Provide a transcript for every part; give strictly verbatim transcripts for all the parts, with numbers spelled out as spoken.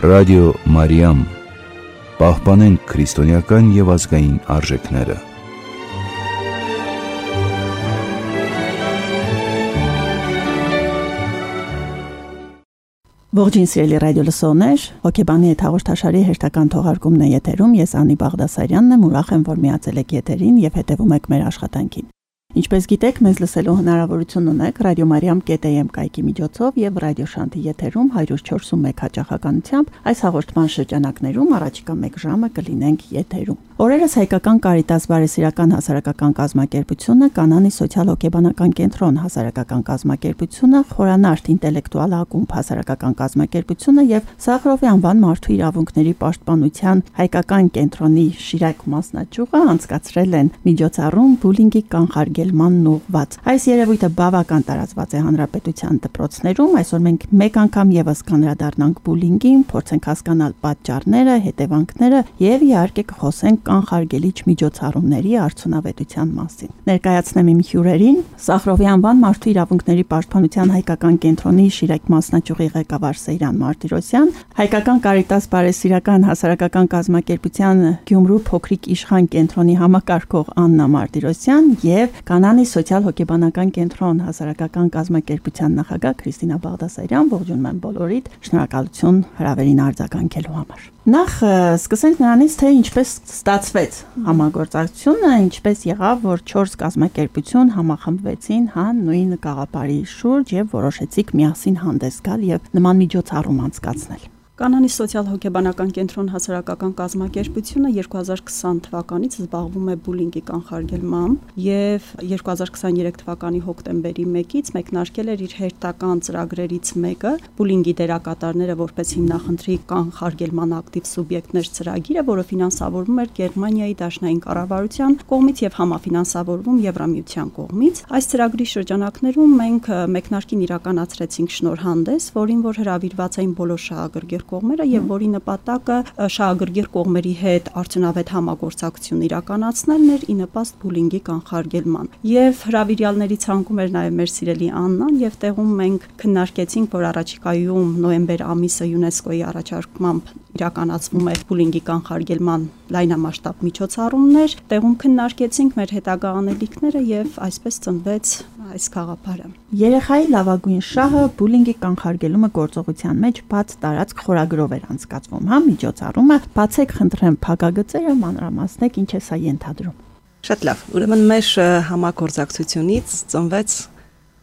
Ռադիո Մարիամ, պահպանենք քրիստոնեական և ազգային արժեքները։ Ողջույն սիրելի ռադիո լսողներ, հոգեբանի հետ հաղորդաշարի հերթական թողարկումն է եթերում, ես Անի Բաղդասարյանն եմ, ուրախ եմ, որ միացել եք եթերին և հետևում եք մեր աշխատանքին։ Ինչպես գիտեք, մեզ լսելու հնարավորություն ունեք Ռադիո Մարիամ կետ էյ էմ կայքի միջոցով եւ Ռադիո Շանթի եթերում հարյուր չորսուն մեկ հաճախականությամբ այս հաղորդման շրջանակներում առաջիկա մեկ ժամը կլինենք եթերում։ Օրերս հայկական Կարիտաս բարեսիրական հասարակական կազմակերպությունը, Կանանի սոցիալ-հոգեբանական կենտրոն հասարակական կազմակերպությունը, Խորանարդ ինտելեկտուալ ակումբ հասարակական կազմակերպությունը եւ Սախարովի անվան մարդու իրավունքների պաշտպանության հայկական կենտրոնի Շիրակ մասնաճյուղը անցկացրել են միջոցառում բուլինգի կանխարգելմանն ուղղված։ Այս երևույթը բավական տարածված է հանրապետության դպրոցներում։ Այսօր մենք մեկ անգամ եւս կանդրադառնանք բուլինգին, փորձենք հասկանալ պատճառները, հետևանքները եւ իհարկե կխոսենք կանխարգելիչ միջոցառումների արդյունավետության մասին։ Ներկայացնեմ իմ հյուրերին Սախարովի անվան մարդու իրավունքների պաշտպանության հայկական կենտրոնի Շիրակ մասնաճյուղի ղեկավար Սեյրան Մարտիրոսյան, հայկական Կարիտաս բարեսիրական հասարակական կազմակերպության Գյումրու փոքրիկ իշխան կենտրոնի համակարգող Աննա Մարտիրոսյան եւ Կանանի սոցիալ-հոգեբանական կենտրոն հասարակական կազմակերպության նախագահ Քրիստինա Բաղդասարյան։ Ողջունում եմ բոլորիդ, շնորհակալություն հրավերին արձագանքելու համար։ Նախ սկսենք նրանից, թե ինչպես ստացվեց համագործակցությունը, ինչպես եղավ, որ չորս կազմակերպություն համախմբվեցին հա նույն գաղափարի շուրջ եւ որոշեցիք միասին հանդես գալ եւ նման միջոցառում անցկացնել։ Կանանի սոցիալ-հոգեբանական կենտրոն հասարակական կազմակերպությունը երկու հազար քսան թվականից զբաղվում է բուլինգի կանխարգելմամբ եւ երկու հազար քսաներեք թվականի հոկտեմբերի մեկից մեկնարկել էր իր հերթական ծրագրերից մեկը բուլինգի դերակատարները որպես հիմնախնդրի կանխարգելման ակտիվ սուբյեկտներ ծրագիրը, որը ֆինանսավորվում էր Գերմանիայի դաշնային կառավարության կողմից եւ համաֆինանսավորվում Եվրամիության կողմից։ Այս ծրագրի շրջանակներում մենք մեկնարկին իրականացրեցինք շնորհանդես, որին որ հրավիրված էին բոլոր շահագրգիռ կողմերը եւ որի նպատակը շահագրգիռ կողմերի հետ արդյունավետ համագործակցություն իրականացնելն էր ի նպաստ բուլինգի կանխարգելման։ Եվ հրավիրյալների ցանկում էր նաեւ մեր սիրելի Աննան եւ տեղում մենք քննարկեցինք, որ առաջիկայում նոյեմբեր ամիսը ՅՈՒՆԵՍԿՕ-ի առաջարկմամբ իրականացվում է բուլինգի կանխարգելման լայնամասշտաբ միջոցառումներ, տեղում քննարկեցինք մեր հետագա անելիքները եւ այսպես ծնվեց այս գաղափարը։ Երեխայի լավագույն շահը բուլինգի կանխարգելումը գործողության մեջ բաց տարածք խորագրով էր անցկացվում, հա միջոցառումը, բացեք խնդրեմ փակագծերը, մանրամասնեք ինչ է սա ենթադրում։ Շատ լավ, ուրեմն մեր համագործակցությունից ծնվեց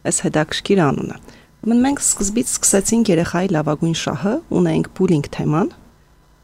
այս հետաքրքիր անունը։ Ուրեմն մենք սկզբից սկսեցինք երեխայի լավագույն շահը, ունենք բուլինգ թեման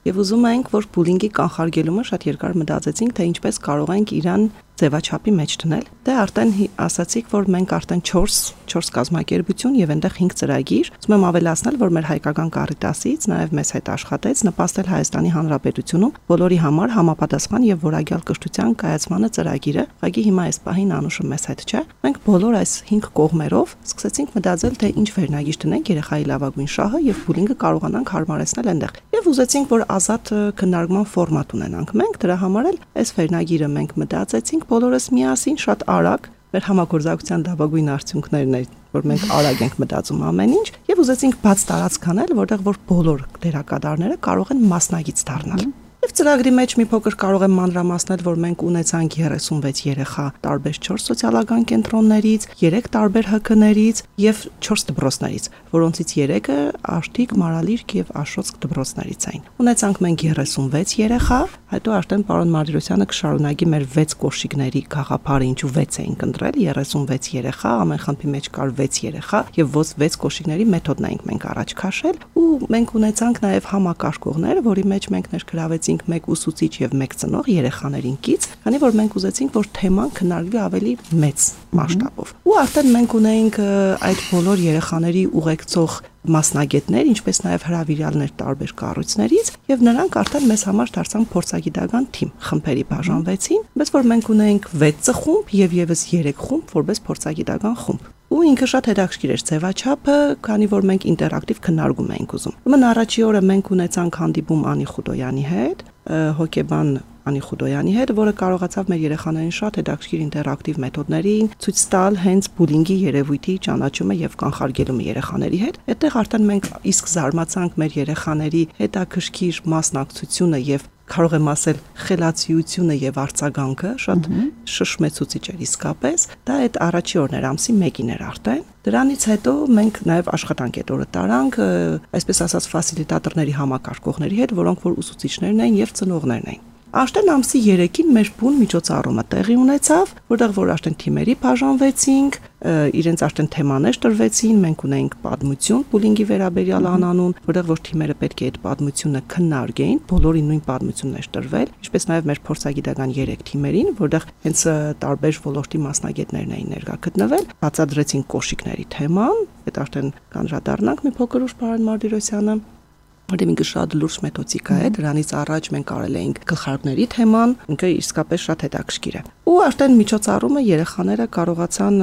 եւ ուզում ենք, որ բուլինգի կանխարգելումը շատ երկար մտածեցինք, թե ինչպես կարող ենք իրան ձևաչափի մեջ դնել։ Դե արդեն ասացիք, որ մենք արդեն չորս կազմակերպություն եւ այնտեղ հինգ ծրագիր։ Ուզում եմ ավելացնել, որ մեր հայկական Կարիտասից նաեւ մեզ հետ աշխատեց նպաստել Հայաստանի Հանրապետությունում բոլորի համար համապատասխան եւ որակյալ կրթության կայացմանը ծրագիրը։ Ուղղակի հիմա այս պահին անուշը մեզ հետ չէ։ Մենք բոլոր այս հինգ կողմերով սկսեցինք մտածել, թե ինչ վերնագիր տնենք երեխայի լավագույն շահը եւ բուլինգը կարողանանք հարմարեցնել այնտեղ։ Եվ ուզեցինք, որ ազատ քննարկման ֆորմատ ունենանք։ Մենք դրա համար էլ այս վերնագիրը մենք մտածեցինք բոլորս միասին շատ արագ մեր համագործակցության լավագույն արդյունքներն էր, որ մենք արագ ենք մտածում ամեն ինչ եւ ուզեցինք բաց տարածք անել, որտեղ որ բոլոր դերակատարները կարող են մասնագիծ դառնալ։ Եվ ծրագրի մեջ մի փոքր կարող եմ մանրամասնել, որ մենք ունեցանք երեսունվեց երեխա տարբեր չորս սոցիալական կենտրոններից, երեք տարբեր ՀՔ-ներից եւ չորս դպրոցներից, որոնցից երեքը Աշտիկ, Մարալիրք եւ Աշոտսկ դպրոցներից էին։ Ունեցանք մենք երեսունվեց երեխա, հետո արդեն պարոն Մարտիրոսյանը կշարունակի մեր վեց կոշիկների գաղափարը, ինչու վեց էինք ընտրել, երեսունվեց երեխա, ամեն խմբի մեջ կար վեց երեխա եւ ոչ վեց կոշիկների մեթոդն էինք մենք առաջ քաշել ու մենք ունեցանք նաեւ համակարգողներ, որի մեջ մենք ներգրավեցինք մեկ ուսուցիչ եւ մեկ ծնող երեխաներին կից, քանի որ մենք ուզեցինք, որ թեման քննարկվի ավելի մեծ մասշտաբով։ Ու արդեն մենք ունեինք այդ բոլոր երեխաների ուղեկցող մասնագետներ, ինչպես նաև հրավիրյալներ տարբեր կառույցներից, եւ նրանք արդեն մեզ համար դարձան փորձագիտական թիմ, խմբերի բաժանվեցին, բայց որ մենք ունեինք վեց խումբ եւ եւս երեք խումբ, որպես փորձագիտական խումբ։ Ու ինքը շատ հետաքրքիր էր ձևաչափը, քանի որ մենք ինտերակտիվ քննարկում էինք ուզում։ Ուրեմն առաջի օրը մենք ունեցանք հանդիպում Անի Խուդոյանի հետ, հոկեբան Անի Խուդոյանի հետ, որը կարողացավ մեր երեխաներին շատ հետաքրքիր ինտերակտիվ մեթոդներին ցույց տալ հենց բուլինգի երևույթի ճանաչումը եւ կանխարգելումը երեխաների հետ։ Այդտեղ արդեն մենք իսկ զարմացանք մեր երեխաների հետաքրքիր մասնակցությունը եւ կարող եմ ասել խելացիությունը եւ արձագանքը շատ շշմեցուցիչ էր իսկապես։ Դա այդ առաջի օրն էր, ամսի մեկին էր արդեն։ Դրանից հետո մենք նաեւ աշխատանք այդ օրը տարանք, այսպես ասած ֆասիլիտատորների համակարգողների հետ, որոնք որ ուսուցիչներն էին եւ ծնողներն էին։ Աշտեն ամսի երեքին մեր բուն միջոցառումը տեղի ունեցավ, որտեղ որ աշտեն թիմերի բաժանվեցինք, իրենց աշտեն թեմաներ տրվեցին, մենք ունեինք պատմություն բուլինգի վերաբերյալ անանուն, որտեղ որ թիմերը պետք է այդ պատմությունը քննարկեին, բոլորին նույն պատմությունն էր տրվել, ինչպես նաև մեր փորձագիտական երեք թիմերին, որտեղ հենց տարբեր ոլորտի մասնագետներն էին ներկա գտնվել, բացատրեցին կոշիկների թեման, այդ աշտեն կանրադառնանք մի փոքր ուշ Պարոն Մարտիրոսյանը Որտեղ ինքը շատ լուրջ մեթոդիկա է, դրանից առաջ մենք կարել էինք գլխարկների թեման, ինքը իսկապես շատ հետաքրքիր է։ Ու արդեն միջոցառումը երեխաները կարողացան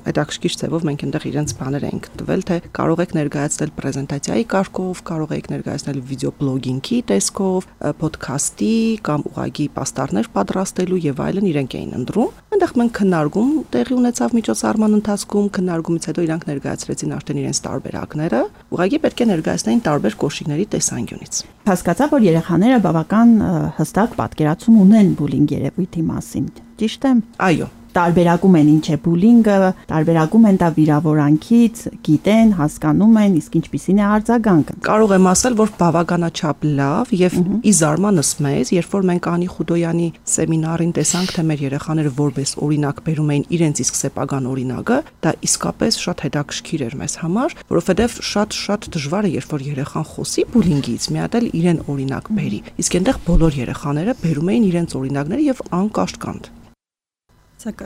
հետաքրքիր ձևով մենք այնտեղ իրենց բաներ էինք տվել, թե կարող եք ներկայացնել պրեզենտացիայի կարգով, կարող եք ներկայացնել վիդեոբլոգինգի տեսքով, ոդքասթի կամ ուղագի պաստառներ պատրաստելու եւ այլն իրենք էին ընտրում։ Այնտեղ մենք քննարկում տեղի ունեցավ միջոցառման ընթացքում, քննարկումից հետո իրանք ներկայացրեցին արդեն իրենց տարբերակները, ուղագի պետք է ներկայացնեին տարբեր կոշիկների տեսանկյունից։ Հասկացա, որ երեխաները բավական հստակ պատկերացում ունեն բուլինգ երևույթի մասին։ Ճիշտ է։ Այո։ Տարբերակում են ինչ է բուլինգը, տարբերակում են դա վիրավորանքից, գիտեն, հասկանում են, իսկ ինչպիսին է արձագանքը։ Կարող եմ ասել, որ բավականաչափ լավ եւ ի զարմանս մեզ, երբ որ մենք Անի Խուդոյանի սեմինարին տեսանք, թե մեր երեխաները որպես օրինակ բերում էին իրենց իսկ սեփական օրինակը, դա իսկապես շատ հետաքրքիր էր մեզ համար, որովհետեւ շատ-շատ դժվար է, երբ որ երեխան խոսի բուլինգից, մի հատ էլ իրեն օրինակ բերի։ Իսկ այնտեղ բոլոր երեխաները բերում էին իրենց օրինակները եւ անկաշկանդ։ Ցակ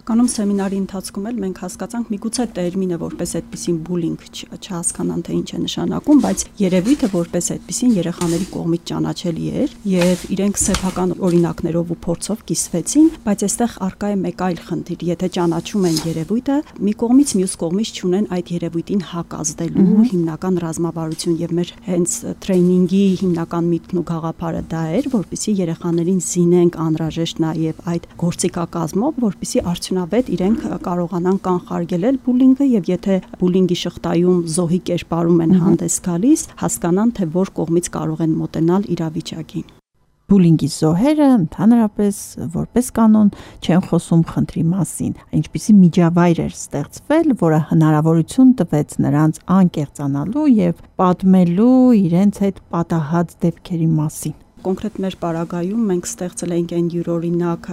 Կանոն սեմինարի ընթացքում էլ մենք հասկացանք միգուցե տերմինը որպես այդպեսին բուլինգ չհասկանան թե ինչ է նշանակում, բայց երևույթը որպես այդպեսին երեխաների կողմից ճանաչելի էր եւ իրենք սեփական օրինակներով ու փորձով կիսվեցին, բայց այստեղ առկա է մեկ այլ խնդիր, եթե ճանաչում են երևույթը, մի կողմից մյուս կողմից չունեն այդ երևույթին հակազդելու հիմնական ռազմավարություն եւ մեր հենց տրեյնինգի հիմնական միտքն ու գաղափարը դա էր, որպեսզի երեխաներին զինենք անհրաժեշտ նաեւ այդ գործիքակազմով, որպեսզի արդյունավետ իրենք կարողանան կանխարգելել բուլինգը եւ եթե բուլինգի շղթայում զոհի կերպարում են հանդես գալիս, հասկանան թե որ կողմից կարող են մոտենալ իրավիճակին։ Բուլինգի զոհերը ընդհանրապես որպես կանոն չեն խոսում խնդրի մասին, ինչպիսի միջավայր էր ստեղծվել, որը հնարավորություն տվեց նրանց անկեղծանալու եւ պատմելու իրենց հետ պատահած դեպքերի մասին։ Կոնկրետ մեր պարագայում մենք ստեղծել ենք այն յուրօրինակ,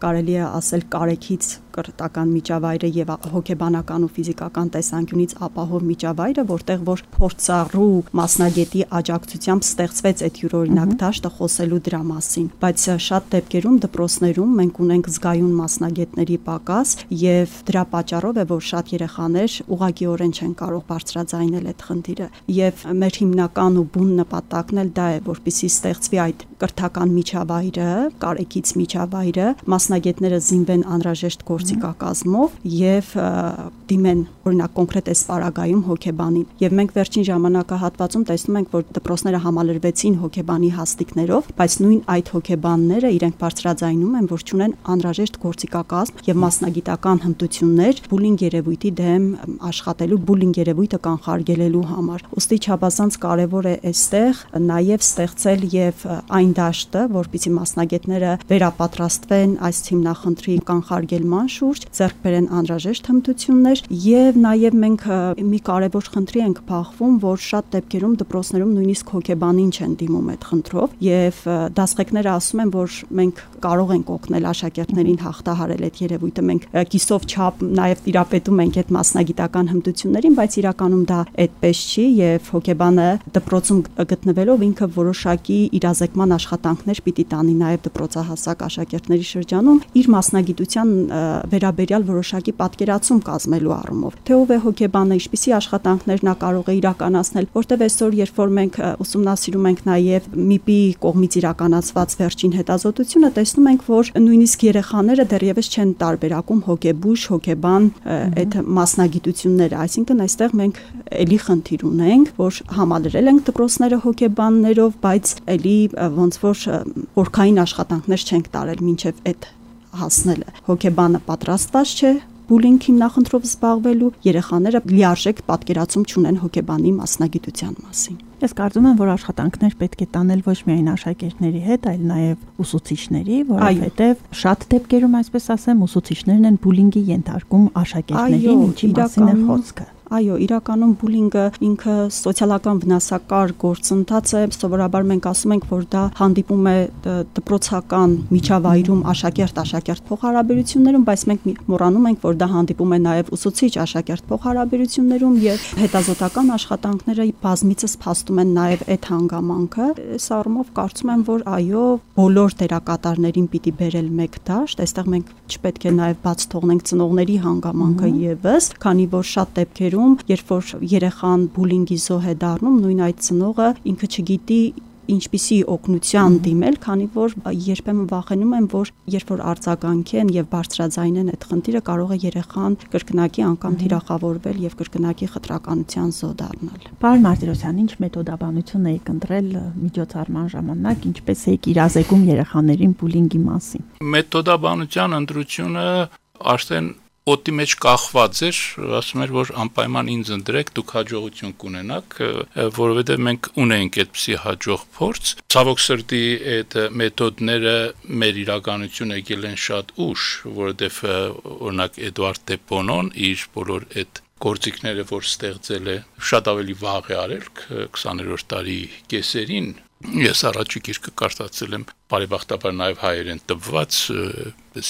կարելի է ասել կարեկից կրթական միջավայրը եւ հոգեբանական ու ֆիզիկական տեսանկյունից ապահով միջավայրը, որտեղ որ փորձառու մասնագետի աջակցությամբ ստեղծվեց այդ յուրօրինակ դաշտը խոսելու դրա մասին, բայց շատ դեպքերում դպրոցներում մենք ունենք զգայուն մասնագետների պակաս եւ դրա պատճառով է որ շատ երեխաներ ուղղակիորեն չեն կարող բարձրաձայնել այդ խնդիրը եւ մեր հիմնական ու բուն նպատակն էլ դա է, որպեսզի ստեղծվի այդ կրթական միջավայրը, կարեկից միջավայրը, մասնագետները զինվեն անհրաժեշտ գործիքակազմով եւ դիմեն օրինակ կոնկրետ այս պարագայում հոգեբանին եւ մենք վերջին ժամանակահատվածում տեսնում ենք որ դպրոցները համալրվեցին հոգեբանի հաստիկներով, բայց նույն այդ հոգեբանները իրենք բարձրաձայնում են որ չունեն անհրաժեշտ գործիքակազմ եւ մասնագիտական հմտություններ բուլինգ երևույթի դեմ աշխատելու, բուլինգ երևույթը կանխարգելելու համար։ Ոստի չափազանց կարեւոր է այստեղ նաեւ ստեղծել եւ այն դաշտը, որպեսզի մասնագետները վերապատրաստվեն այս հիմնախնդրի կանխարգելման շուրջ, ձեռք բերեն անհրաժեշտ հմտություններ եւ նաեւ մենք մի կարեւոր խնդրի ենք բախվում, որ շատ դեպքերում դպրոցներում նույնիսկ հոգեբանին չեն դիմում այդ խնդրով եւ դասղեկները ասում են, որ մենք կարող ենք օգնել աշակերտներին հաղթահարել այդ երևույթը, մենք կիսով չափ նաեւ տիրապետում ենք այդ մասնագիտական հմտություններին, բայց իրականում դա այդպես չի եւ հոգեբանը դպրոցում գտնվելով ինքը որոշակի իրազեկման աշխատանքներ պիտի տանի նաև դպրոցահասակ աշակերտների շրջանում իր մասնագիտության վերաբերյալ որոշակի պատկերացում կազմելու առումով։ Թե ով է հոգեբանը, ինչպիսի աշխատանքներ նա կարող է իրականացնել, որտեղ այսօր երբ որ մենք ուսումնասիրում ենք նաև ՄԻՊ-ի կողմից իրականացված վերջին հետազոտությունը, տեսնում ենք, որ նույնիսկ երեխաները դեռևս չեն տարբերակում հոգեբույժ, հոգեբան այդ մասնագիտությունները, այսինքն այստեղ մենք էլի խնդիր ունենք, որ համալրել ենք դպրոցները հոգեբաններով, բայց էլի ոնց որ օրքային աշխատանքներ չենք տարել մինչև այդ հասնելը։ Հոգեբանը պատրաստված չէ բուլինգի նախընտրով զբաղվելու, երեխաները լիարժեք պատկերացում չունեն հոգեբանի մասնագիտության մասին։ Ես կարծում եմ, որ աշխատանքներ պետք է տանել ոչ միայն աշակերտների հետ, այլ նաև ուսուցիչների, որովհետև շատ դեպքերում, այսպես ասեմ, ուսուցիչներն են բուլինգի ենթարկում աշակերտներին, ինչի մասին է խոսքը։ Այո, իրականում բուլինգը ինքը սոցիալական վնասակար գործընթաց է, սովորաբար մենք ասում ենք, որ դա հանդիպում է դպրոցական միջավայրում աշակերտ-աշակերտ փոխհարաբերություններում, բայց մենք մոռանում ենք, որ դա հանդիպում է նաև ուսուցիչ-աշակերտ փոխհարաբերություններում եւ հետազոտական աշխատանքները բազմիցս փաստում են նաև այդ հանգամանքը։ Այս առումով կարծում եմ, որ այո, բոլոր դերակատարներին պիտի բերել մեկ դաշտ, այստեղ մենք չպետք է նաև բաց թողնենք ծնողների հանգամանքը եւս, քանի որ շատ դեպքերում երբ որ երեխան բուլինգի զոհ է դառնում, նույն այդ ծնողը ինքը չգիտի ինչպիսի օգնության դիմել, քանի որ երբեմն վախենում եմ, որ երբ որ արձագանքեն եւ բարձրաձայնեն այդ խնդիրը, կարող է երեխան կրկնակի անգամ թիրախավորվել եւ կրկնակի խտրականության զոհ դառնալ։ Պարոն Մարտիրոսյան, ինչ մեթոդաբանություն եք ընտրել միջոցառման ժամանակ, ինչպես եք իրազեկում երեխաներին բուլինգի մասին։ Մեթոդաբանության ընտրությունը արդեն օդի մեջ կախված էր, ասում էր, որ անպայման ինձ ընտրեք, դուք հաջողություն կունենաք, որովհետև մենք ունենք այդպիսի հաջող փորձ։ Ցավոք սրտի այդ մեթոդները մեր իրականություն եկել են շատ ուշ, որովհետև օրինակ Էդուարդ դե Բոնոն իր բոլոր այդ գործիքները, որ ստեղծել է, շատ ավելի վաղ է արել քսաներորդ դարի կեսերին։ Ես առաջի գիրքը կարդացել եմ բարեբախտաբար նաև հայերեն տպված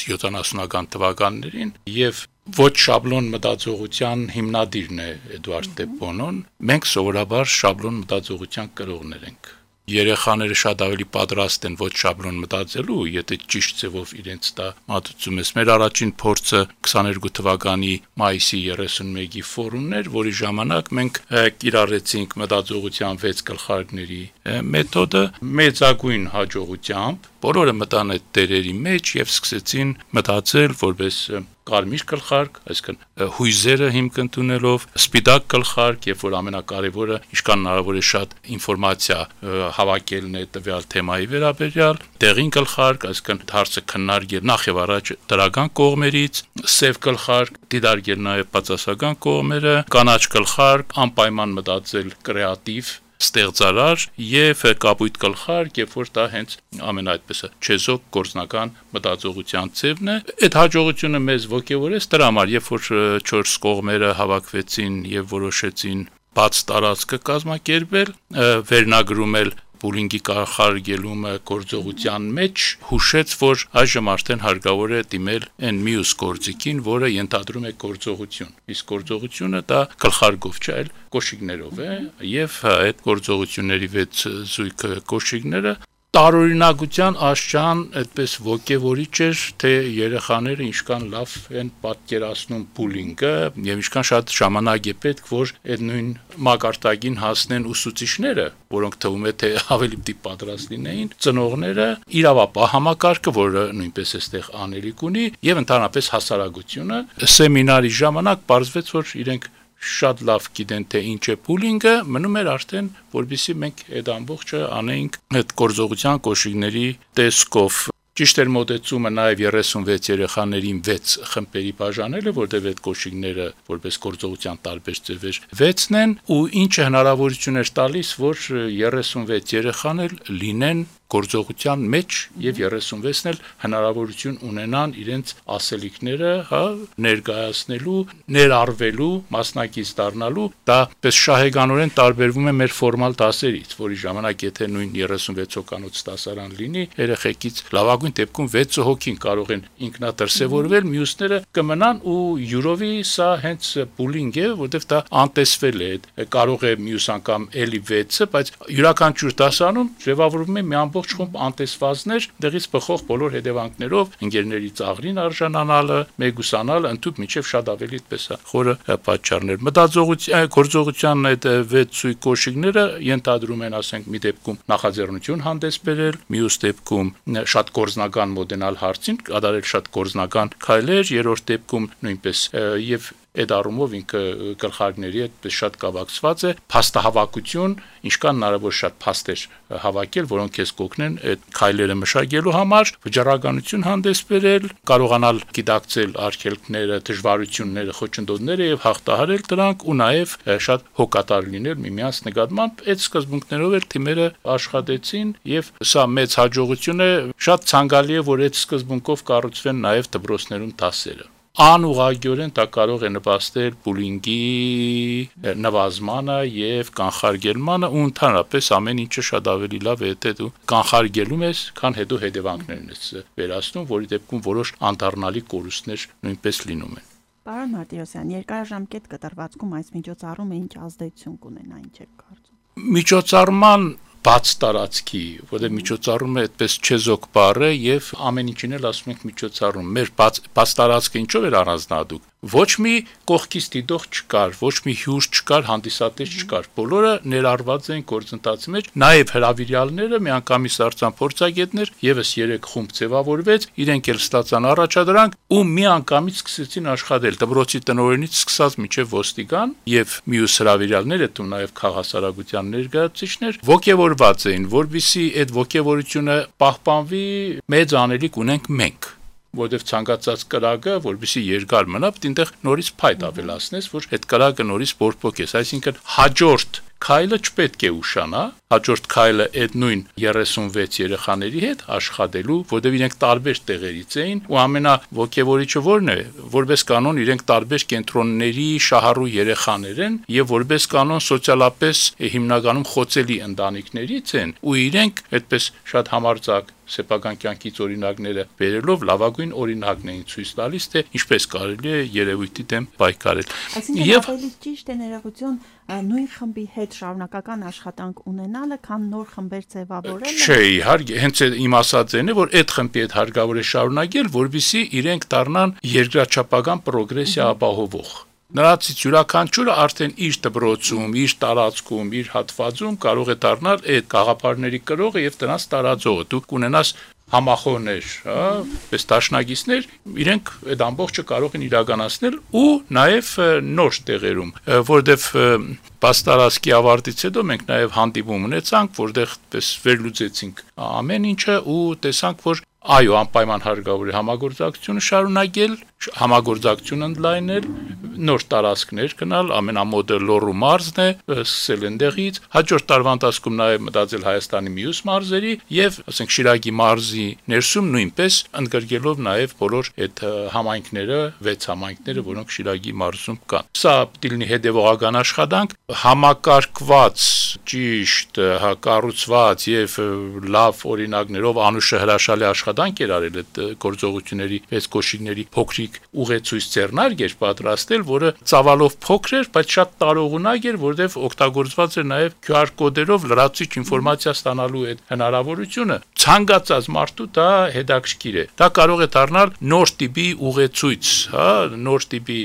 յոթանասունական թվականներին եւ ոչ շաբլոն մտածողության հիմնադիրն է Էդուարդ դե Բոնոն։ Մենք սովորաբար շաբլոն մտածողության կրողներ ենք։ Երեխաները շատ ավելի պատրաստ են ոչ շաբլոն մտածելու, եթե ճիշտ ձևով իրենց դա մատուցում ես։ Մեր առաջին փորձը քսաներկու թվականի մայիսի երեսունմեկի ֆորումն էր, որի ժամանակ մենք կիրառեցինք մտածողության վեց գլխարկների մեթոդը մեծագույն հաջողությամբ։ Բոլորը մտան այդ տերերի մեջ եւ սկսեցին մտածել որպես կարմիր գլխարկ, այսինքն հույզերը հիմք ընդունելով, սպիտակ գլխարկ, երբ որ ամենակարևորը ինչքան հնարավոր է շատ ինֆորմացիա հավաքելն է տվյալ թեմայի վերաբերյալ, դեղին գլխարկ, այսինքն հարցը քննարկել նախ եւ առաջ դրական կողմերից, սև գլխարկ, դիտարկել նաեւ բացասական կողմերը, կանաչ գլխարկ, անպայման մտածել կրեատիվ ստեղծարար եւ կապույտ գլխարկ, երբ որ դա հենց ամեն այդպես չեզոք գործնական մտածողության ձևն է։ Այդ հաջողությունը մեզ ոգևորեց դրա համար, երբ որ չորս կողմերը հավաքվեցին եւ որոշեցին բաց տարածքը կազմակերպել, վերնագրում էլ բուլինգի կանխարգելումը գործողության մեջ, հուշեց, որ այժմ արդեն հարկավոր է դիմել այն մյուս գործիքին, որը ենթադրում է գործողություն։ Իսկ գործողությունը դա գլխարկով չէ, այլ կոշիկներով է, եւ այդ գործողությունների վեց զույգ կոշիկները տարօրինակության աշճան այդպես ոգևորիչ էր, թե երեխաները ինչքան լավ են պատկերացնում բուլինգը եւ ինչքան շատ ժամանակ է պետք, որ այդ նույն մակարդակին հասնեն ուսուցիչները, որոնք թվում է թե ավելի դիպ պատրաստ լինեին, ծնողները, իրավապահ համակարգը, որը նույնպես էստեղ անելիք ունի, եւ ընդհանրապես հասարակությունը։ Սեմինարի ժամանակ պարզվեց, որ իրենք շատ լավ գիտեն թե ինչ է բուլինգը, մնում էր արդեն, որպեսզի մենք այդ ամբողջը անեինք այդ գործողության կոշիկների տեսքով։ Ճիշտ էր մոտեցումը նաև երեսունվեց երեխաներին վեց խմբերի բաժանելը, որտեղ այդ կոշիկները որպես գործողության տարբեր ձևեր վեցն են, ու ինչը հնարավորություն էր տալիս, որ երեսունվեց երեխան էլ լինեն գործողության մեջ եւ երեսունվեցն էլ հնարավորություն ունենան իրենց ասելիքները, հա, ներկայացնելու, ներառվելու, մասնակից դառնալու, դա պես շահեգանորեն տարբերվում է մեր ֆորմալ դասերից, որի ժամանակ եթե նույն երեսունվեց հոգանոց դասարան լինի, երեխեքից լավագույն դեպքում վեց հոգին կարող են ինքնադրսևորվել, մյուսները կմնան ու յուրովի սա հենց բուլինգ է, որտեղ դա անտեսվել է, կարող է մյուս անգամ էլի վեցը, բայց յուրաքանչյուր դասանում ձևավորվում է մի ամբողջ խումբ անտեսվածներ, դեղից բխող բոլոր հետևանքներով, ընկերների ծաղրին արժանանալը, մեգուսանալը, ընդհանուր միջև շատ ավելի այդպես է խորը պատճառներ։ Մտածողության, գործողության այդ վեց սույգ կոշիկները ենթադրում են, ասենք, մի դեպքում նախաձեռնություն հանդես բերել, մյուս դեպքում շատ գործնական մոդենալ հարցին, կատարել շատ գործնական քայլեր, երրորդ դեպքում նույնպես եւ այդ առումով ինքը գլխարկների հետ շատ կապակցված է, փաստահավաքություն, ինչքան հնարավոր շատ փաստեր հավաքել, որոնք քեզ կօգնեն այդ քայլերը մշակելու համար, վճռականություն հանդես բերել, կարողանալ գիտակցել արգելքները, դժվարությունները, խոչընդոտները եւ հաղթահարել դրանք ու նաեւ շատ հոգատար լինել միմյանց նկատմամբ։ Այդ սկզբունքներով էլ թիմերը աշխատեցին եւ սա մեծ հաջողություն է, շատ ցանկալի է, որ այդ սկզբունքով կառուցվեն նաեւ դպրոցներում դասերը։ Անուղղակիորեն դա կարող է նպաստել բուլինգի նվազմանը եւ կանխարգելմանը ու ընդհանրապես ամեն ինչը շատ ավելի լավ է, եթե դու կանխարգելում ես, քան հետո հետևանքներն ես վերացնում, որի դեպքում որոշ անդառնալի կորուստներ նույնպես լինում են։ Պարոն Մարտիրոսյան, երկարաժամկետ կտրվածքում այս միջոցառումը ինչ ազդեցություն կունենա, ինչ եք կարծում։ Միջոցառման բաց տարածքի, որտեղ միջոցառումը այդպես չեզոք բառ է եւ ամեն ինչին էլ ասում ենք միջոցառում։ Մեր բաց բաց տարածքը ինչով էր առանձնահատուկ։ Ոչ մի կողքից դիտող չկար, ոչ մի հյուր չկար, հանդիսատես չկար։ Բոլորը ներառված էին գործընթացի մեջ, նաև հրավիրյալները, միանգամից արձան փորձագետներ, եւս երեք խումբ ձևավորվեց, իրենք էլ ստացան առաջադրանք ու միանգամից սկսեցին աշխատել դպրոցի տնօրենից սկսած մինչև ոստիկան եւ մյուս հրավիրյալները, դու նաև քաղաքասարագության ներկայացուցիչներ ողջևորված էին, որբիսի այդ ողջևորությունը պահպանվի, մեծ անելիք ունենք մենք, որտեղ ցանկացած կրակը, որովհետեւ երկար մնա, պետք է այնտեղ նորից փայտ ավելացնես, որ այդ կրակը նորից բորբոքես, այսինքն հաջորդ քայլը չպետք է ուշանա, հաջորդ քայլը այդ նույն երեսունվեց երեխաների հետ աշխատելու, որտեղ իրենք տարբեր տեղերից էին ու ամենաոգևորիչը որն է, որպես կանոն իրենք տարբեր կենտրոնների շահառու երեխաներ են եւ որպես կանոն սոցիալապես հիմնականում խոցելի ընտանիքներից են ու իրենք այդպես շատ համարձակ սեփական կյանքից օրինակները բերելով լավագույն օրինակն էին ցույց տալիս, թե ինչպես կարելի է երևույթի դեմ պայքարել։ Եվ ավելի ճիշտ է ներողություն նույն խմբի հետ շարունակական աշխատանք ունենալը, քան նոր խմբեր ձևավորելը։ Չէ, իհարկե, հենց իմ ասածն է, որ այդ խմբի հետ հարկավոր է շարունակել, որովհետեւ իրենք դառնան երկրաչափական պրոգրեսիա ապահովող։ Նրանցից յուրաքանչյուրը արդեն իր դպրոցում, իր տարածքում, իր հատվածում կարող է դառնալ այդ գաղափարների կրողը եւ դրանց տարածողը։ Դու կունենաս համախոհներ, հա, պես դաշնակիցներ, իրենք այդ ամբողջը կարող են իրականացնել ու նաեւ նոր տեղերում, որովհետեւ պաստարասկի ավարտից հետո մենք նաեւ հանդիպում ունեցանք, որտեղ պես վերլուծեցինք ամեն ինչը ու տեսանք, որ այո, անպայման հարկավոր է համագործակցությունը շարունակել, համագործակցություն ընդլայնել, նոր տարածքներ գնալ, ամենամոդը Լոռու մարզն է, սկսել այնտեղից, հաջորդ տարվա ընթացքում նաև մտածել Հայաստանի մյուս մարզերի եւ, ասենք, Շիրակի մարզի ներսում նույնպես ընդգրկելով նաև բոլոր այդ համայնքները, վեց համայնքները, որոնք Շիրակի մարզում կան։ Սա դիլնի հետևողական աշխատանք, համակարգված, ճիշտ, կառուցված եւ լավ օրինակներով անուշը հրաշալի աշխատանք էր արել այդ գործողությունների, այս կոշիկների փոքրիկ ուղեցույց ձեռնարկ էր պատրաստել, որը ծավալով փոքր էր, բայց շատ տարողունակ էր, որտեղ օգտագործված էր նաև Q R կոդերով լրացուցիչ ինֆորմացիա ստանալու այդ հնարավորությունը։ Ցանկացած մարդու դա հետաքրքիր է։ Դա կարող է դառնալ նոր տիպի ուղեցույց, հա, նոր տիպի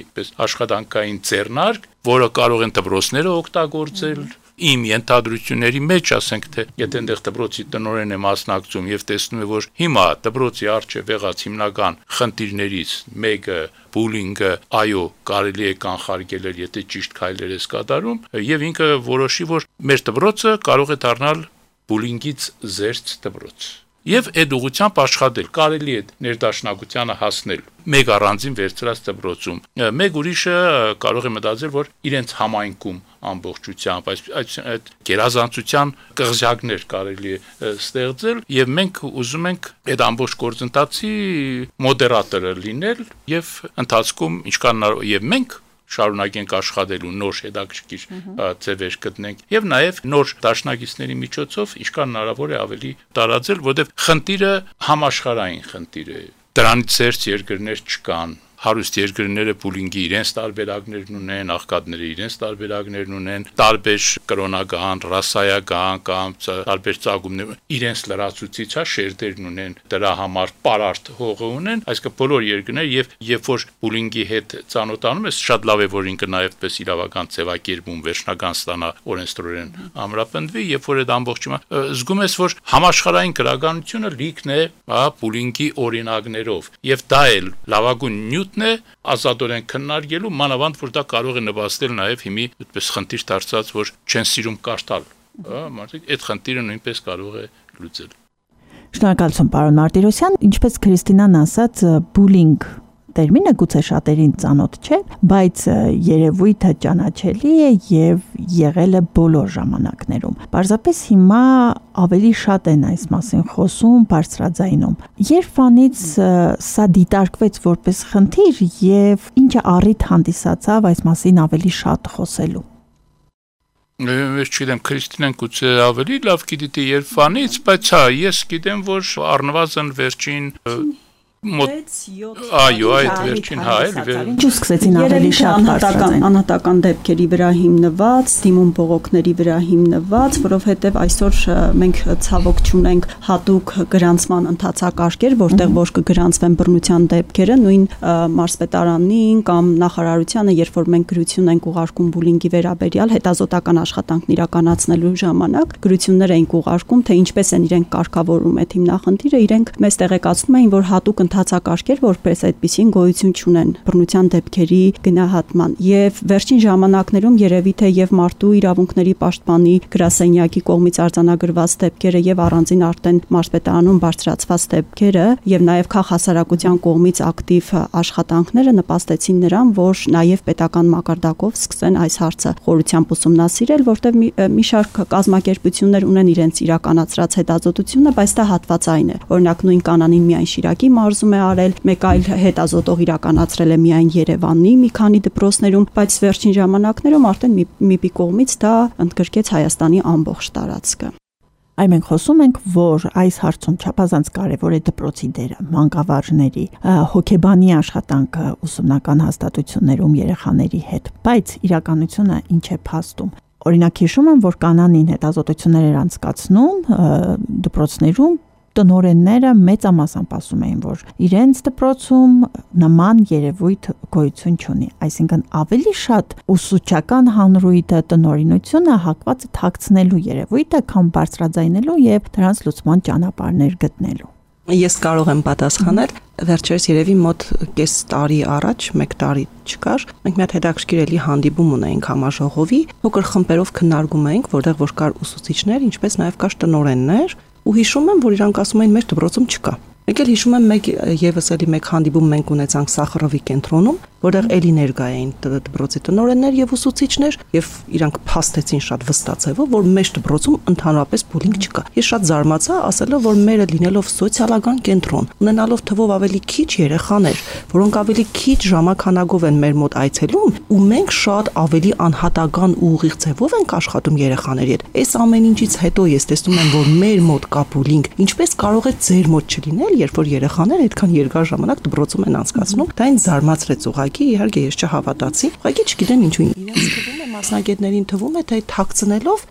աշխատանքային ձեռնարկ, որը կարող են դպրոցները օգտագործել։ Իմ ենթադրությունների մեջ ասենք թե եթե այնտեղ դպրոցի տնօրեն է մասնակցում եւ տեսնում է որ հիմա դպրոցի առջեւ եղած հիմնական խնդիրներից մեկը բուլինգը, այո, կարելի է կանխարգել, եթե ճիշտ քայլեր ես կատարում եւ ինքը որոշի որ մեր դպրոցը կարող է դառնալ բուլինգից զերծ դպրոց եւ այդ ուղղությամբ աշխատել կարելի է ներդաշնակությանը հասնել մեկ առանձին վերցրած դպրոցում մեկ ուրիշը կարող է մտածել որ իրենց համայնքում ամբողջությամբ այս այդ գերազանցության կղզյակներ կարելի է ստեղծել եւ մենք ուզում ենք այդ ամբողջ գործընթացի մոդերատորը լինել եւ ընթացքում ինչքան եւ մենք շարունակենք աշխատելու նոր հետաքրքիր ձևեր գտնենք եւ նաեւ նոր դաշնակիցների միջոցով ինչքան հնարավոր է ավելի տարածել, որովհետեւ խնդիրը համաշխարհային խնդիր է։ Դրանից ծերծ երկրներ չկան։ Հարուստ երկրները բուլինգի իրենց տարբերակներն ունեն, աղքատները իրենց տարբերակներն ունեն, տարբեր կրոնական, ռասայական կամ տարբեր ծագումներ իրենց լրացուցիչ շերտերն ունեն, դրա համար պարարտ հողը ունեն, այսինքն բոլոր երկրները եւ երբ որ բուլինգի հետ ծանոթանում ես, շատ լավ է որ ինքը նաեւ պես իրավական ձևակերպում վերջնական ստանա օրենսդրորեն ամրապնդվի, երբ որ այդ ամբողջը զգում ես որ համաշխարհային գրականությունը լիքն է, հա, բուլինգի օրինակներով եւ դա էլ լավագույն նյութ մոմենտն է ազատորեն քննարկելու, մանավանդ որ դա կարող է նվաստել նաև հիմի այդպես խնդիր դարձած, որ չեն սիրում կարդալ, հա, մարդիկ այդ խնդիրը նույնպես կարող է լուծել։ Շնորհակալություն, պարոն Մարտիրոսյան, ինչպես Քրիստինան ասաց, բուլինգ տերմինը գուցե շատերին ծանոթ չէ, բայց երևույթը ճանաչելի է եւ եղել է բոլոր ժամանակներում։ Պարզապես հիմա ավելի շատ են այս մասին խոսում, բարձրաձայնում։ Երբանից սա դիտարկվեց որպես խնդիր եւ ինչը առիթ հանդիսացավ այս մասին ավելի շատ խոսելու։ Ես չգիտեմ, Քրիստինան գուցե ավելի լավ գիտի երբանից, բայց հա, ես գիտեմ, որ առնվազն վերջին Այո, այդ վերջին հա էլ Ինչու սկսեցին ավելի շատ բարձրացնել անհատական դեպքերի վրա հիմնված, դիմում բողոքների վրա հիմնված, որովհետև այսօր մենք ցավոք չունենք հատուկ գրանցման ընթացակարգեր, որտեղ ոչ կգրանցվեն բռնության դեպքերը, նույն մարզպետարանին կամ նախարարությանը, երբ որ մենք գրություն ենք ուղարկում բուլինգի վերաբերյալ հետազոտական աշխատանքն իրականացնելու ժամանակ, գրություններ ենք ուղարկում, թե ինչպես են իրենք կարգավորում այդ հիմնախնդիրը, իրենք մեզ տեղեկացնում էին, որ հատուկ ընթացակարգեր որպես այդպիսին գոյություն չունեն բռնության դեպքերի գնահատման եւ վերջին ժամանակներում երևի թե եւ մարդու իրավունքների պաշտպանի գրասենյակի կողմից արձանագրված դեպքերը եւ առանձին արդեն մարզպետարանում բարձրացված դեպքերը եւ նաեւ քաղաքասարակության կողմից ակտիվ աշխատանքները նպաստեցին նրան, որ նաեւ պետական մակարդակով սկսեն այս հարցը խորությամբ ուսումնասիրել, որտեղ մի, մի շարք կազմակերպություններ ունեն իրենց իրականացրած հետազոտությունը, բայց դա հատվածային է։ Օրինակ նույն կանանին միայն Շիրակի մարզում է արել, մեկ այլ հետազոտող իրականացրել է միայն Երևանի մի քանի դպրոցներում, բայց վերջին ժամանակներում արդեն մի ՄԻՊ-ի կողմից դա ընդգրկեց Հայաստանի ամբողջ տարածքը։ Այ մենք խոսում ենք, որ այս հարցում չափազանց կարևոր է դպրոցի դերը, մանկավարժների, հոգեբանի աշխատանքը ուսումնական հաստատություններում երեխաների հետ, բայց իրականությունը ինչ է փաստում։ Օրինակ հիշում եմ, որ կանանին հետազոտություններ էր անցկացնում դպրոցներում, տնօրենները մեծամասամբ ասում էին, որ իրենց դպրոցում նման երևույթ գոյություն չունի, այսինքն ավելի շատ ուսուցչական հանրույթը տնօրինությունը հակված է թաքցնելու երևույթը, քան բարձրաձայնելու եւ դրանց լուծման ճանապարհներ գտնելու։ Ես կարող եմ պատասխանել, վերջերս երևի մոտ կես տարի առաջ, մեկ տարի չկար, մենք մի հատ հետաքրքիր էլի հանդիպում ունեինք համաժողովի, փոքր խմբերով քննարկում էինք, որտեղ որ կար ուսուցիչներ, ինչպես նաև կար տնօրեններ, ու հիշում եմ, որ իրանք ասում էին մեր դպրոցում չկա։ Մեկ էլ հիշում եմ մեկ եւս էլի մեկ հանդիպում մենք ունեցանք Սախարովի կենտրոնում, որտեղ էլի ներկա էին դպրոցի տնօրեններ եւ ուսուցիչներ եւ իրանք փաստեցին շատ վստահ, որ մեր դպրոցում ընդհանրապես բուլինգ չկա։ Ես շատ զարմացա, ասելով, որ մերը լինելով սոցիալական կենտրոն, ունենալով թվով ավելի քիչ երեխաներ, որոնք ավելի քիչ ժամանակով են մեր մոտ այցելում, ու մենք շատ ավելի անհատական ու ուղիղ ձևով ենք աշխատում երեխաների հետ։ Այս ամեն ինչից հետո ես տեսնում եմ, որ մեր մոտ կա բուլինգ, ինչպես կարող է ձեր մոտ չլինել, երբ որ երեխաները այդքան երկար ժամանակ դպրոցում են անցկացնում, դա ինձ զարմացրեց ուղղակի, իհարկե ես չհավատացի, ուղղակի չգիտեմ ինչու իրենց թվում է, մասնագետներին թվում է, թե թաքցնելով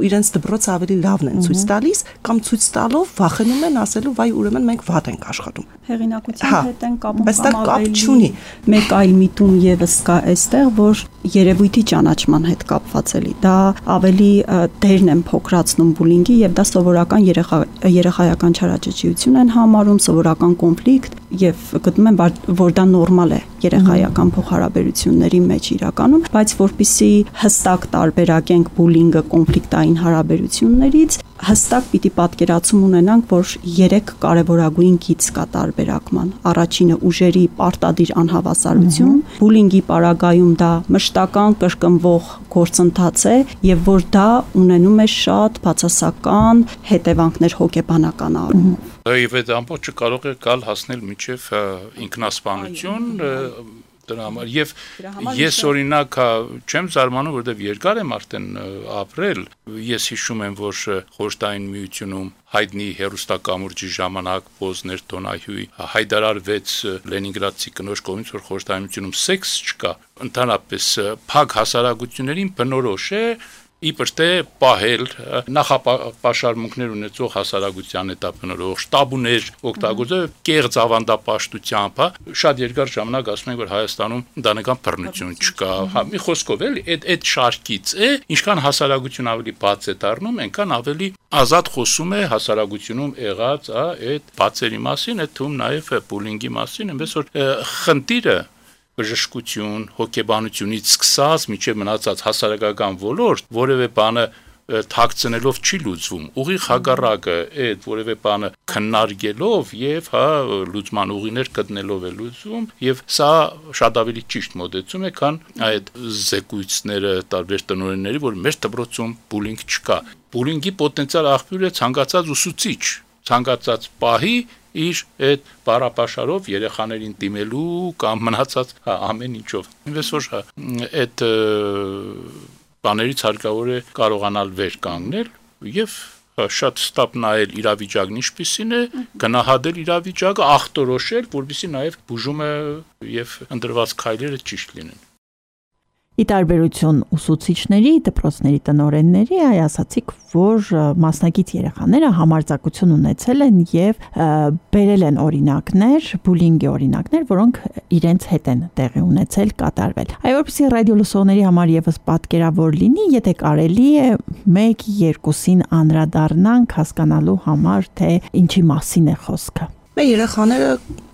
իրենց դպրոցը ավելի լավն են ցույց տալիս, կամ ցույց տալով վախենում են ասելու, վայ, ուրեմն մենք վատ ենք աշխատում։ Հեղինակության հետ են կապում, բայց դա կապ չունի։ Մեկ այլ միտում եւս կա այստեղ, որ երևույթի ճանաչման հետ կապված էլի։ Դա ավելի դերն են փոքրացնում բուլինգի եւ դա սովորական երեխայական չարաճճիություն են համարում, սովորական կոնֆլիկտ եւ գտնում են, որ դա նորմալ է երեխայական փոխհարաբերությունների մեջ իրականում, բայց որpիսի հստակ տարբերակենք բուլինգը կոնֆլիկտային հարաբերություններից, հստակ պիտի պատկերացում ունենանք, որ երեք կարևորագույն գիծ կա տարբերակման։ Առաջինը ուժերի պարտադիր անհավասարություն, բուլինգի պարագայում դա մշտական կրկնվող գործընթաց է եւ որ դա ունենում է շատ բացասական հետևանքներ հոգեբանական առումով։ Եվ այդ ամբողջը կարող է գալ հասնել մինչև ինքնասպանություն դրա համար եւ ես օրինակ չեմ զարմանում, որովհետեւ երկար եմ արդեն ապրել, ես հիշում եմ, որ խորհրդային միությունում հայտնի հերոստակամուրջի ժամանակ Պոզներ Տոնահյուի հայտարարվեց Լենինգրադցի կնոջ կողմից, որ խորհրդային միությունում սեքս չկա, ընդհանրապես փակ հասարակություններին բնորոշ է իբր թե պահել նախապաշարմունքներ ունեցող հասարակության հետապնդող շտաբուներ օգտագործել կեղծ ավանդապաշտությամբ, շատ երկար ժամանակ ասում ենք, որ Հայաստանում ընտանեկան բռնություն չկա, հա, մի խոսքով էլի, այդ այդ շարքից է, ինչքան հասարակություն ավելի բաց է դառնում, այնքան ավելի ազատ խոսում է հասարակությունում եղած, հա, այդ բացերի մասին, այդ թվում նաև բուլինգի մասին, այնպես որ խնդիրը բժշկություն, հոգեբանությունից սկսած մինչև մնացած հասարակական ոլորտ, որևէ բանը թաքցնելով չի լուծվում, ուղիղ հակառակը, այդ որևէ բանը քննարկելով եւ հա լուծման ուղիներ գտնելով է լուծվում եւ սա շատ ավելի ճիշտ մոդեցում է, քան այդ զեկույցները տարբեր տնօրենների, որ մեր դպրոցում բուլինգ չկա։ Բուլինգի պոտենցիալ աղբյուր է ցանկացած ուսուցիչ, ցանկացած պահի իր այդ բարապաշարով երեխաներին դիմելու կամ մնացած հա, ամեն ինչով։ Ինձ որ այդ բաներից հարկավոր է կարողանալ վեր կանգնել եւ շատ ստապ նայել իրավիճակն ինչպիսին է, գնահատել իրավիճակը, ախտորոշել, որովհետեւ նաեւ բուժումը եւ ընդրված քայլերը ճիշտ լինեն։ Ի տարբերություն ուսուցիչների, դպրոցների տնօրենների, այ ասացիք, որ մասնակից երեխաները համարձակություն ունեցել են եւ բերել են օրինակներ, բուլինգի օրինակներ, որոնք իրենց հետ են տեղի ունեցել, կատարվել։ Այ որպեսզի ռադիո լսողների համար եւս պատկերավոր լինի, եթե կարելի է մեկ երկուսին անդրադառնանք հասկանալու համար, թե ինչի մասին է խոսքը։ Մեր երեխաները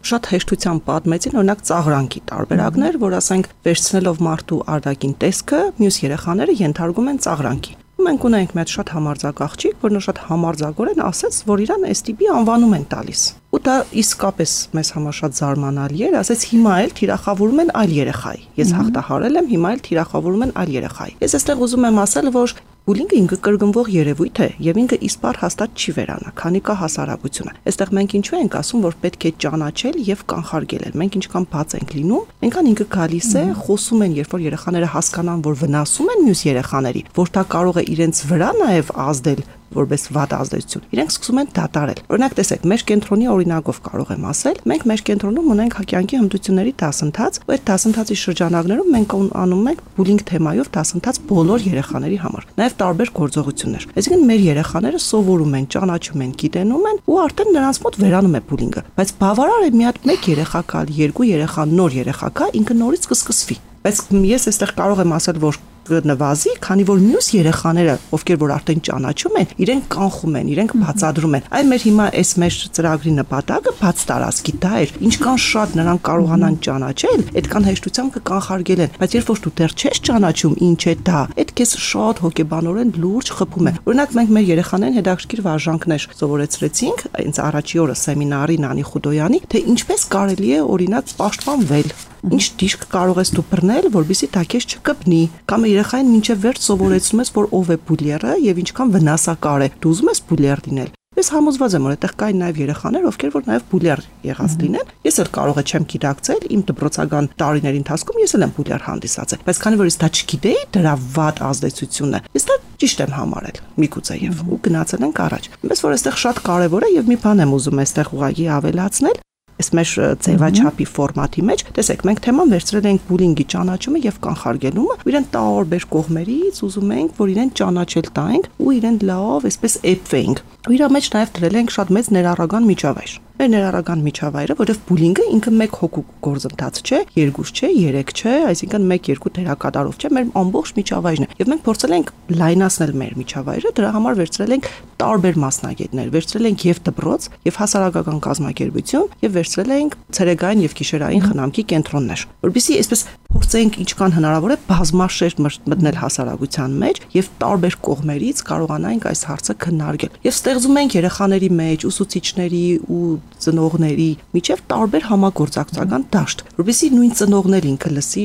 շատ հեշտությամբ պատմեցին օրինակ ծաղրանքի տարբերակներ, որ ասենք վերցնելով մարդու արտաքին տեսքը, մյուս երեխաները ենթարկում են ծաղրանքի։ Մենք ունենք մի հատ շատ համարձակ աղջիկ, որն շատ համարձակորեն ասաց, որ իրան էս տիպի անվանում են տալիս։ Ու դա իսկապես մեզ համար շատ զարմանալի էր, ասաց հիմա էլ թիրախավորում են այլ երեխայի։ Ես հաղթահարել եմ, հիմա էլ թիրախավորում են այլ երեխայի։ Ես այստեղ ուզում եմ ասել, որ բուլինգը ինքը կրկնվող երևույթ է եւ ինքը իսպար հաստատ չի վերանա, քանի կա հասարակությունը։ Այստեղ մենք ինչու ենք ասում, որ պետք է ճանաչել եւ կանխարգելել։ Մենք ինչքան բաց ենք լինում, այնքան ինքը գալիս է, խոսում են, երբ որ երեխաները հասկանան, որ վնասում են մյուս երեխաների, որ դա կարող է իրենց վրա նաեւ ազդել որպես վատ ազդեցություն։ Իրենք սկսում են դատարել։ Օրինակ տեսեք, մեր կենտրոնի օրինակով կարող եմ ասել, մենք մեր կենտրոնում ունենք հակյանքի հմտությունների դասընթաց, ու այդ դասընթացի շրջանակներում մենք անում ենք բուլինգ թեմայով դասընթաց բոլոր երեխաների համար, նաև տարբեր գործողություններ։ Այսինքն մեր երեխաները սովորում են, ճանաչում են, գիտենում են, ու արդեն նրանց մոտ վերանում է բուլինգը։ Բայց բավարար է մի հատ մեկ երեխա կալ, երկու երեխա, նոր երեխա կա, ինքը նորից կսկսվի։ Բայց ես այստեղ կարող եմ ասել, որ նվազի, քանի որ մյուս երեխաները, ովքեր որ արդեն ճանաչում են, իրենք կանխում են, իրենք բացադրում են։ Այ մեր հիմա այս մեր ծրագրի նպատակը բաց տարածքի դա էր։ Ինչքան շատ նրանք կարողանան ճանաչել, այդքան հեշտությամբ կկանխարգելեն։ Բայց երբ որ դու դեռ չես ճանաչում ինչ է դա, այդ քեզ շատ հոգեբանորեն լուրջ խփում է։ Օրինակ մենք մեր երեխաներին հետաքրքիր վարժանքներ սովորեցրեցինք, այնց առաջի օրը սեմինարի Նանի Խուդոյանի, թե ինչպես կարելի է օրինակ պաշտպանվել։ Ինչ դիշկ կարող ես դու բռնել, որպեսզի դա քեզ չկպնի, կամ երեխային մինչև վերջ սովորեցնում ես, որ ով է բուլերը եւ ինչքան վնասակար է։ Դու ուզում ես բուլեր լինել։ Ես համոզված եմ, որ այդտեղ կային նաև երեխաներ, ովքեր որ նաև բուլեր եղած լինեն։ Ես էլ կարող եմ գիտակցել իմ դպրոցական տարիների ընթացքում ես էլ եմ բուլեր հանդիսացել, բայց քանի որ ես դա չգիտեի, դրա վատ ազդեցությունը, ես դա ճիշտ եմ համարել միգուցե եւ ու գնացել ենք առաջ։ Այնպես որ այստեղ շատ կարեւոր է եւ մի բան եմ ուզում այստեղ ուղղակի ավելացնել։ Այս մեր ձևաչափի ֆորմատի մեջ, տեսեք, մենք թեման վերցրել ենք բուլինգի ճանաչումը եւ կանխարգելումը, ու իրեն տարբեր կողմերից ուզում ենք, որ իրեն ճանաչել տանք ու իրեն լավ, այսպես էպվենք։ Ու իր մեջ նաեւ դրել ենք շատ մեծ ներառական միջավայր։ Մեր ներառական միջավայրը, որովհետև բուլինգը ինքը մեկ հոգու գործընթաց չէ, երկուս չէ, երեք չէ, այսինքն մեկ երկու դերակատարով չէ, մեր ամբողջ միջավայրն է։ Եվ մենք փորձել ենք լայնացնել մեր միջավայրը, դրա համար վերցրել ենք տարբեր մասնագետներ, վերցրել ենք եւ դպրոց, եւ հասարակական կազմակերպություն, եւ վերցրել ենք ցերեկային եւ գիշերային խնամքի կենտրոններ, որովհետեւ այսպես փորձենք ինչքան հնարավոր է բազմաշերտ մտնել հասարակության մեջ եւ տարբեր կողմերից կարողանանք այս հարցը քննարկել։ Եվ ստեղծում ենք երեխաների մեջ, ուսուցիչների ու ծնողների միջև տարբեր համագործակցական դաշտ, որովհետեւ նույն ծնողներ ինքը լսի,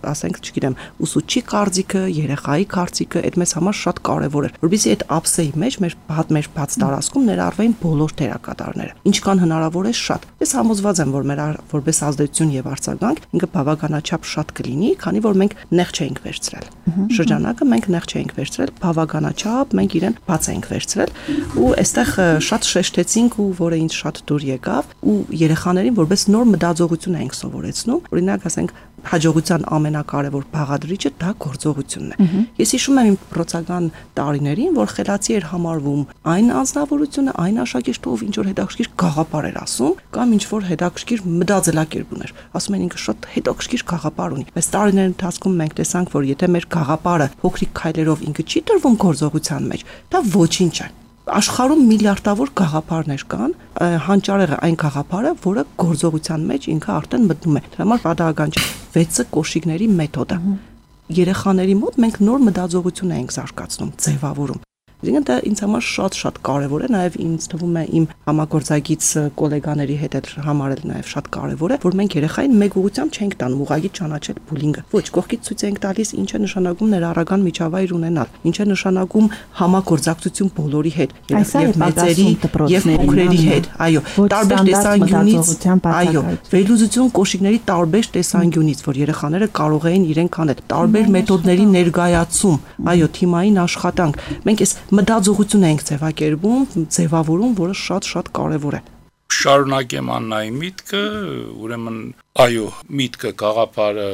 ասենք, չգիտեմ, ուսուցչի կարծիքը, երեխայի կարծիքը, այդ մեզ համար շատ կարևոր էր, որովհետեւ այդ ափսեի մեջ մեր բաց մեր բաց տարածքում ներառվեին բոլոր դերակատարները, ինչքան հնարավոր է շատ։ Ես համոզված եմ, որ մեր որպես ազդեցություն եւ արձագանք ինքը բավականաչափ շատ կլինի, քանի որ մենք նեղ չենք վերցրել։ Շրջանակը մենք նեղ չենք վերցրել, բավականաչափ մենք իրեն բաց ենք վերցրել ու այստեղ շատ շեշտեցինք ու որը ինձ շատ դուր եկավ ու երեխաներին որպես նոր մտածողություն ենք սովորեցնում։ Օրինակ, ասենք, հաջողության ամենակարևոր բաղադրիչը դա գործողությունն է։ Ես հիշում եմ իմ փորձական տարիներին, որ խելացի էր համարվում այն անձնավորությունը, այն աշակերտը, ով ինչ որ հետաքրքիր գաղափար էր ասում, կամ ինչ որ հետաքրքիր մտածելակերպ ուներ։ Ասում են ինքը շատ հետաքրքիր գաղափար ունի։ Բայց տարիների ընթացքում մենք տեսանք, որ եթե մեր գաղափարը փոքրիկ քայլերով ինքը չի տրվում գործողության մեջ, դա ոչինչ է։ Աշխարհում միլիարդավոր գաղափարներ կան, հանճարեղը այն գաղափարը, որը գործողության մեջ ինքը արդեն մտնում է։ Դրա համար պատահական չէ վեցը կոշիկների մեթոդը։ Երեխաների մոտ մենք նոր մտածողություն ենք զարգացնում, ձևավորում։ Այսինքն դա ինձ համար շատ-շատ կարևոր է, նաև ինձ թվում է իմ համագործակից գոլեգաների հետ էլ համարել նաև շատ կարևոր է, որ մենք երեխային մեկ ուղղությամբ չենք տանում ուղղակի ճանաչել բուլինգը։ Ոչ, կողքից ցույց ենք տալիս ինչ է նշանակում ներառական միջավայր ունենալ, ինչ է նշանակում համագործակցություն բոլորի հետ, եւ մեծերի եւ փոքրերի հետ։ Այո, տարբեր տեսանկյունից, այո, վերլուծություն կոշիկների տարբեր տեսանկյունից, որ երեխաները կարող էին իրենք անել, տարբեր մեթոդների ներկայացում, այո, թիմային աշխատանք։ Մենք այս մտածողություն ենք ձևակերպում, ձևավորում, որը շատ-շատ կարևոր է։ Շարունակեմ Աննայի միտքը, ուրեմն այո, միտքը գաղափարը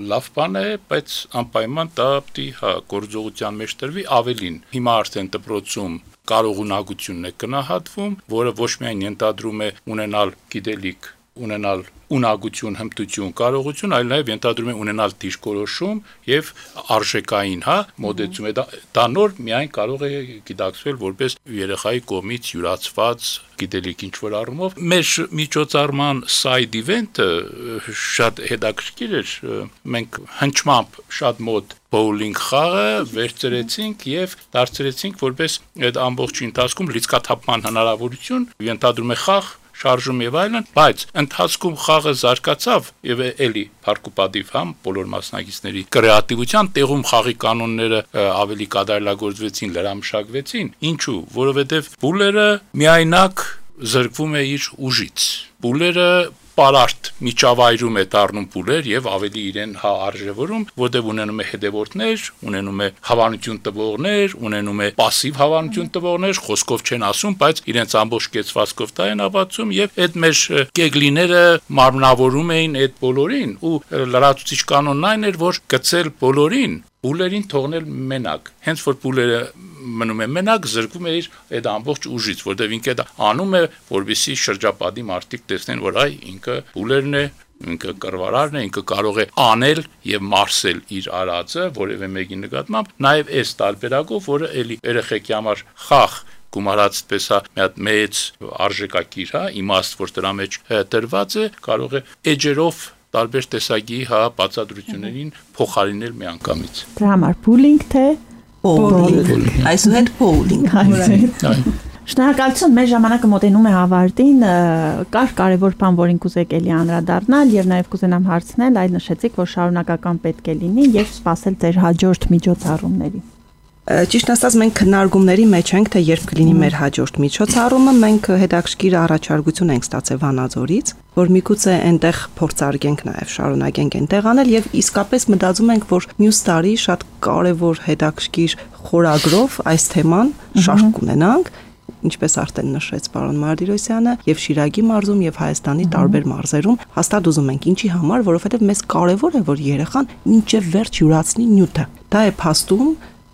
լավ բան է, բայց անպայման դա պիտի հա գործողության մեջ տրվի ավելին։ Հիմա արդեն դպրոցում կարողունակությունն է գնահատվում, որը ոչ միայն ենթադրում է ունենալ գիտելիք, ունենալ ունակություն, հմտություն, կարողություն, այլ նաև ենթադրում է ունենալ դիրքորոշում եւ արժեքային, հա, մոդեցում է դա, դա նոր միայն կարող է գիտակցվել որպես երեխայի կողմից յուրացված գիտելիք ինչ-որ առումով։ Մեր միջոցառման side event-ը շատ հետաքրքիր էր, մենք հնչմամբ շատ մոտ bowling խաղը վերցրեցինք եւ դարձրեցինք որպես այդ ամբողջ ընթացքում լիցքաթափման հնարավորություն, ենթադրում է խաղ շարժում եւ այլն, բայց ընթացքում խաղը զարգացավ եւ էլի փառկուպատիվ համ բոլոր մասնակիցների կրեատիվության տեղում խաղի կանոնները ավելի կատարելագործվեցին, լրամշակվեցին, ինչու, որովհետեւ բուլերը միայնակ զրկվում է իր ուժից։ Բուլերը պարարտ միջավայրում է դառնում բուլեր եւ ավելի իրեն հա արժևորում, որտեղ ունենում է հետևորդներ, ունենում է հավանություն տվողներ, ունենում է пассив հավանություն տվողներ, խոսքով չեն ասում, բայց իրենց ամբողջ կեցվածքով դա են ապացուցում եւ այդ մեր կեգլիները մարմնավորում էին այդ բոլորին ու լրացուցիչ կանոնն այն էր, որ գցել բոլորին բուլերին թողնել մենակ, հենց որ բուլերը մնում է մենակ, զրկվում է իր այդ ամբողջ ուժից, որտեղ ինքը դա անում է, որովհետեւ շրջապատի մարդիկ տեսնեն, որ այ ինքը բուլերն է, ինքը կռվարարն է, ինքը կարող է անել եւ մարսել իր արածը որևէ մեկի նկատմամբ, նաեւ այս տարբերակով, որը էլի երեխեքի համար խաղ գումարած պես է մի հատ մեծ արժեքակիր, հա, իմաստ, որ դրա մեջ դրված է, կարող է էջերով տարբեր տեսակի հա բացատրություններին փոխարինել միանգամից։ Դրա համար բուլինգ թե bowling, այսուհետ bowling։ Շնորհակալություն, մեր ժամանակը մոտենում է ավարտին, կար կարևոր բան, որին կուզեք էլի անդրադառնալ եւ նաեւ կուզենամ հարցնել, այլ նշեցիք, որ շարունակական պետք է լինի եւ սպասել ձեր հաջորդ միջոցառումների։ Ճիշտ ասած մենք քննարկումների մեջ ենք, թե երբ կլինի մեր հաջորդ միջոցառումը, մենք հետաքրքիր առաջարկություն ենք ստացել Վանաձորից, որ միգուցե այնտեղ փորձարկենք նաև շարունակենք այնտեղ անել եւ իսկապես մտածում ենք, որ մյուս տարի շատ կարեւոր հետաքրքիր խորագրով այս թեման շարք կունենանք, ինչպես արդեն նշեց պարոն Մարտիրոսյանը, եւ Շիրակի մարզում եւ Հայաստանի տարբեր մարզերում հաստատ ուզում ենք ինչի համար, որովհետեւ մեզ կարեւոր է, որ երեխան մինչեւ վերջ յուրացնի նյութը։ Դա է փաստում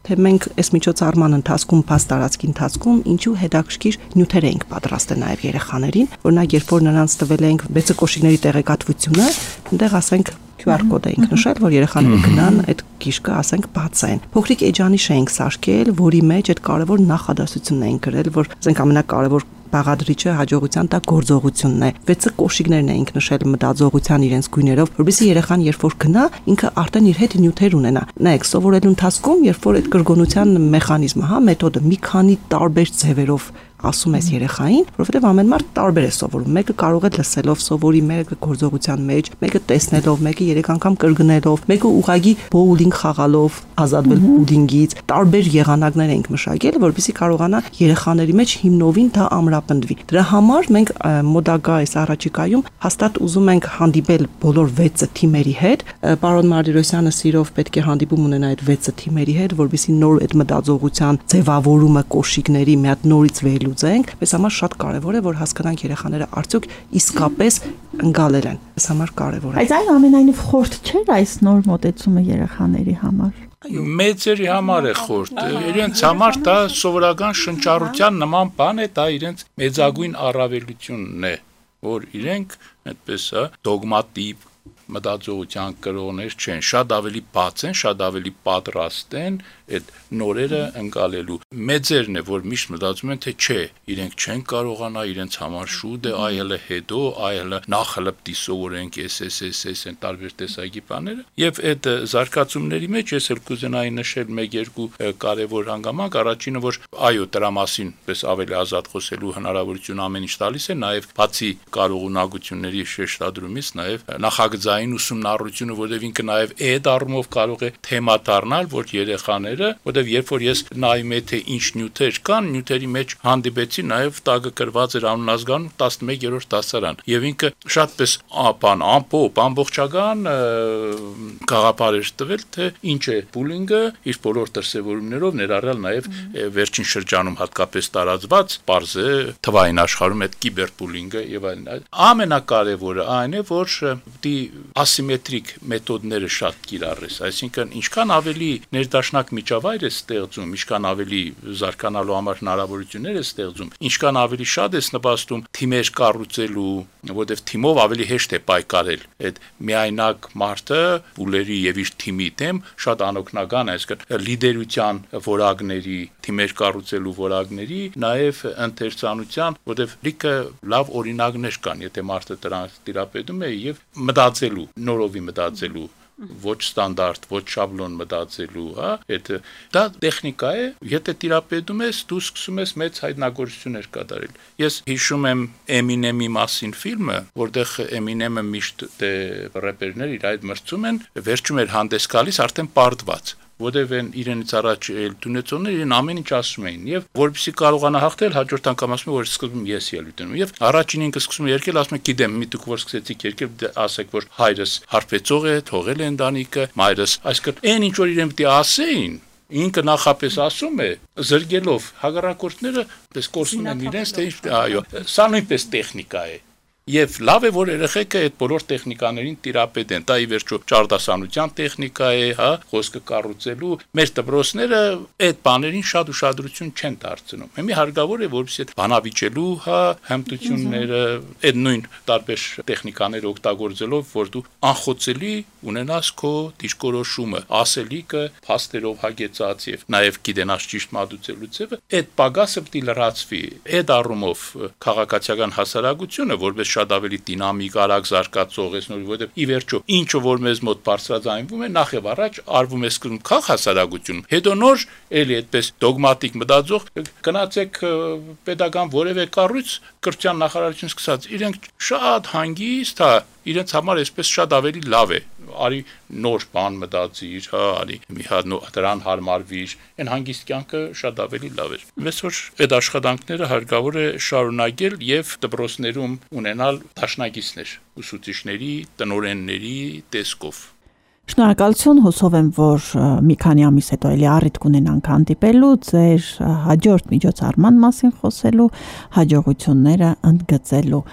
թե մենք այս միջոցառման ընթացքում, փաստարածքի ընթացքում ինչու հետաքրքիր նյութեր ենք պատրաստել նաև երեխաներին, օրինակ երբ որ նրանց տվել ենք վեցը կոշիկների տեղեկատվությունը, այնտեղ ասենք Q R կոդ ենք նշել, որ երեխաները գնան այդ գիշկը, ասենք, բացային։ Փոքրիկ էջանիշ ենք սարքել, որի մեջ այդ կարևոր նախադասությունն ենք գրել, որ ասենք ամենակարևոր բաղադրիչը հաջողության տակ գործողությունն է։ Վեցը կոշիկներն էինք նշել մտածողության իրենց գույներով, որովհետեւ երեխան երբ որ գնա, ինքը արդեն իր հետ նյութեր ունենա։ Նայեք, սովորելու ընթացքում, երբ որ այդ կրկնության մեխանիզմը, հա, մեթոդը մի քանի տարբեր ձևերով ասում ես երեխային, որովհետև ամեն մարդ տարբեր է սովորում։ Մեկը կարող է լսելով սովորի, մեկը գործողության մեջ, մեկը տեսնելով, մեկը երեք անգամ կրկնելով, մեկը ուղղակի bowling խաղալով, ազատվել բուլինգից, տարբեր եղանակներ ենք մշակել, որպեսզի կարողանա երեխաների մեջ հիմնովին դա ամրապնդվի։ Դրա համար մենք մոդագա այս առաջիկայում հաստատ ուզում ենք հանդիպել բոլոր վեցը թիմերի հետ։ Պարոն Մարտիրոսյանը սիրով պետք է հանդիպում ունենա այդ վեցը թիմերի հետ, որպեսզի նոր այդ մտածողության ձևավորումը կոշիկների մի հատ նորից վեր վերլուծենք, մեզ համար շատ կարևոր է, որ հասկանանք երեխաները արդյոք իսկապես ընկալել են։ Այս համար կարևոր է։ Բայց այն ամենայնիվ խորտ չէր այս նոր մոտեցումը երեխաների համար։ Մեծերի համար է խորտ, իրենց համար դա սովորական շնչառության նման բան է, դա իրենց մեծագույն առավելությունն է, որ իրենք այդպես դոգմատիկ մտածողության կրողներ չեն, շատ ավելի բաց են, շատ ավելի պատրաստ են այդ նորերը ընկալելու։ Մեծերն է, որ միշտ մտածում են, թե չէ, իրենք չեն կարողանա, իրենց համար շուտ է, այլը հետո, այլը նախ հլպտի սովորենք, էս էս էս էս են տարբեր տեսակի բաները։ Եվ այդ զարգացումների մեջ ես էլ կուզենայի նշել մեկ-երկու կարևոր հանգամանք, առաջինը, որ այո, դրա մասին պես ավելի ազատ խոսելու հնարավորություն ամեն ինչ տալիս է, նաև բացի կարողունակությունների շեշտադրումից, նաև նախագծային ուսումնառությունը, որտեղ ինքը նաև այդ առումով կարող է թեմա դառնալ, որ երեխաները, որտեղ երբ որ ես նայում եմ թե ինչ նյութեր կան, նյութերի մեջ հանդիպեցի նաև տագը գրված էր անունազգանում տասնմեկերորդ դասարան, եւ ինքը շատպես բան ամփոփ, ամբողջական գաղափար էր տվել, թե ինչ է բուլինգը, իր բոլոր դրսևորումներով, ներառյալ նաև վերջին շրջանում հատկապես տարածված պարզ է թվային աշխարհում այդ կիբերբուլինգը եւ այլն։ Ամենակարևորը այն է, որ դի ասիմետրիկ մեթոդները շատ կիրառես, այսինքն ինչքան ավելի ներդաշնակ միջավայր է ստեղծում, ինչքան ավելի զարգանալու համար հնարավորություններ է ստեղծում, ինչքան ավելի շատ է նպաստում թիմեր կառուցելու, որտեղ թիմով ավելի հեշտ է պայքարել։ Այդ միայնակ մարդը բուլերի եւ իր թիմի դեմ շատ անօգնական է, այսինքն լիդերության որակների, թիմեր կառուցելու որակների, նաեւ ընթերցանության, որտեղ լիքը լավ օրինակներ կան, եթե մարդը դրանց տիրապետում է եւ մտածելու, նորովի մտածելու, ոչ ստանդարտ, ոչ շաբլոն մտածելու, հա, այդ դա տեխնիկա է, եթե տիրապետում ես, դու սկսում ես մեծ հայտնագործություններ կատարել։ Ես հիշում եմ Eminem-ի մասին ֆիլմը, որտեղ Eminem-ը միշտ դե рэպերներ իր այդ մրցում են, վերջում էր հանդես գալիս արդեն պարտված, որտեղ են իրենից առաջ դունեցողները իրեն ամեն ինչ ասում էին եւ որպեսզի կարողանա հաղթել հաջորդ անգամ ասում որ սկզբում ես ելույթ եմ եւ առաջին ինքը սկսում է երկել ասում է գիտեմ մի դուք որ սկսեցիք երկել ասեք որ հայրս հարբեցող է թողել է ընտանիքը մայրս այսինքն այն ինչ որ իրեն պիտի ասեին ինքը նախապես ասում է զրկելով հակառակորդները պես կորսում են իրենց թե այո սա նույնպես տեխնիկա է Եվ լավ է, որ երեխեքը այդ բոլոր տեխնիկաներին տիրապետեն, դա ի վերջո ճարտասանության տեխնիկա է, հա, խոսքը կառուցելու, մեր դպրոցները այդ բաներին շատ ուշադրություն չեն դարձնում։ Հիմա հարկավոր է, որպեսզի այդ բանավիճելու, հա, հմտությունները, այդ նույն տարբեր տեխնիկաները օգտագործելով, որ դու անխոցելի ունենաս քո դիրքորոշումը, ասելիքը, փաստերով հագեցած եւ նաեւ գիտենաս ճիշտ մատուցելու ձևը, այդ պակասը պիտի լրացվի։ Այդ առումով քաղաքացիական հասարակությունը, որպես շատ ավելի դինամիկ, արագ զարգացող է, որովհետև ի վերջո ինչը որ մեզ մոտ բարձրաձայնվում է, նախ եւ առաջ արվում է սկզբում քաղ հասարակությունում, հետո նոր էլի այդպես դոգմատիկ մտածող գնացեք պետական որևէ կառույց կրթության նախարարություն սկսած, իրենք շատ հանգիստ, հա, իրենց համար այսպես շատ ավելի լավ է, արի նոր բան մտածիր, հա, արի մի հատ դրան հարմարվիր, այն հանգիստ կյանքը շատ ավելի լավ էր։ Ես որ այդ աշխատանքները հարկավոր է շարունակել եւ դպրոցներում ունենալ դաշնակիցներ, ուսուցիչների, տնօրենների տեսքով։ Շնորհակալություն, հուսով եմ, որ մի քանի ամիս հետո էլի առիթ կունենանք հանդիպելու, ձեր հաջորդ միջոցառման մասին խոսելու, հաջողությունները ընդգծելու։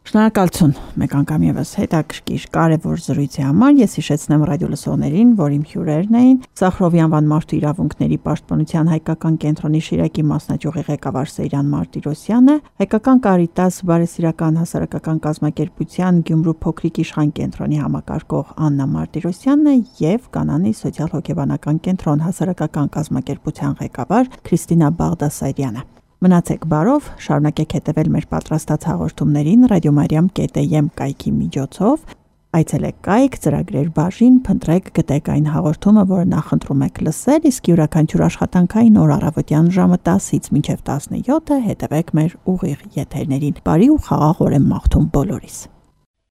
Շնորհակալություն մեկ անգամ եւս հետաքրքիր կարևոր զրույցի համար։ Ես հիշեցնեմ ռադիոլսողներին, որ իմ հյուրերն էին Սախրովի անվան մարդու իրավունքների պաշտպանության հայկական կենտրոնի Շիրակի մասնաճյուղի ղեկավար Սեյրան Մարտիրոսյանը, Հայկական Կարիտաս բարեսիրական հասարակական կազմակերպության Գյումրու փոքրիկ իշխան կենտրոնի համակարգող Աննա Մարտիրոսյանն եւ Կանանի սոցիալ-հոգեբանական կենտրոն հասարակական կազմակերպության ղեկավար Քրիստինա Բաղդասարյանը։ Մնացեք բարով, շարունակեք հետևել մեր պատրաստած հաղորդումներին ռադիոմարիամ կետ եմ կայքի միջոցով, այցելեք կայք, ծրագրեր բաժին, փնտրեք, գտեք այն հաղորդումը, որը նախընտրում եք լսել, իսկ յուրաքանչյուր աշխատանքային օր առավոտյան ժամը տասից մինչև տասնյոթը հետևեք մեր ուղիղ եթերներին։ Բարի ու խաղաղ օր եմ մաղթում բոլորիս։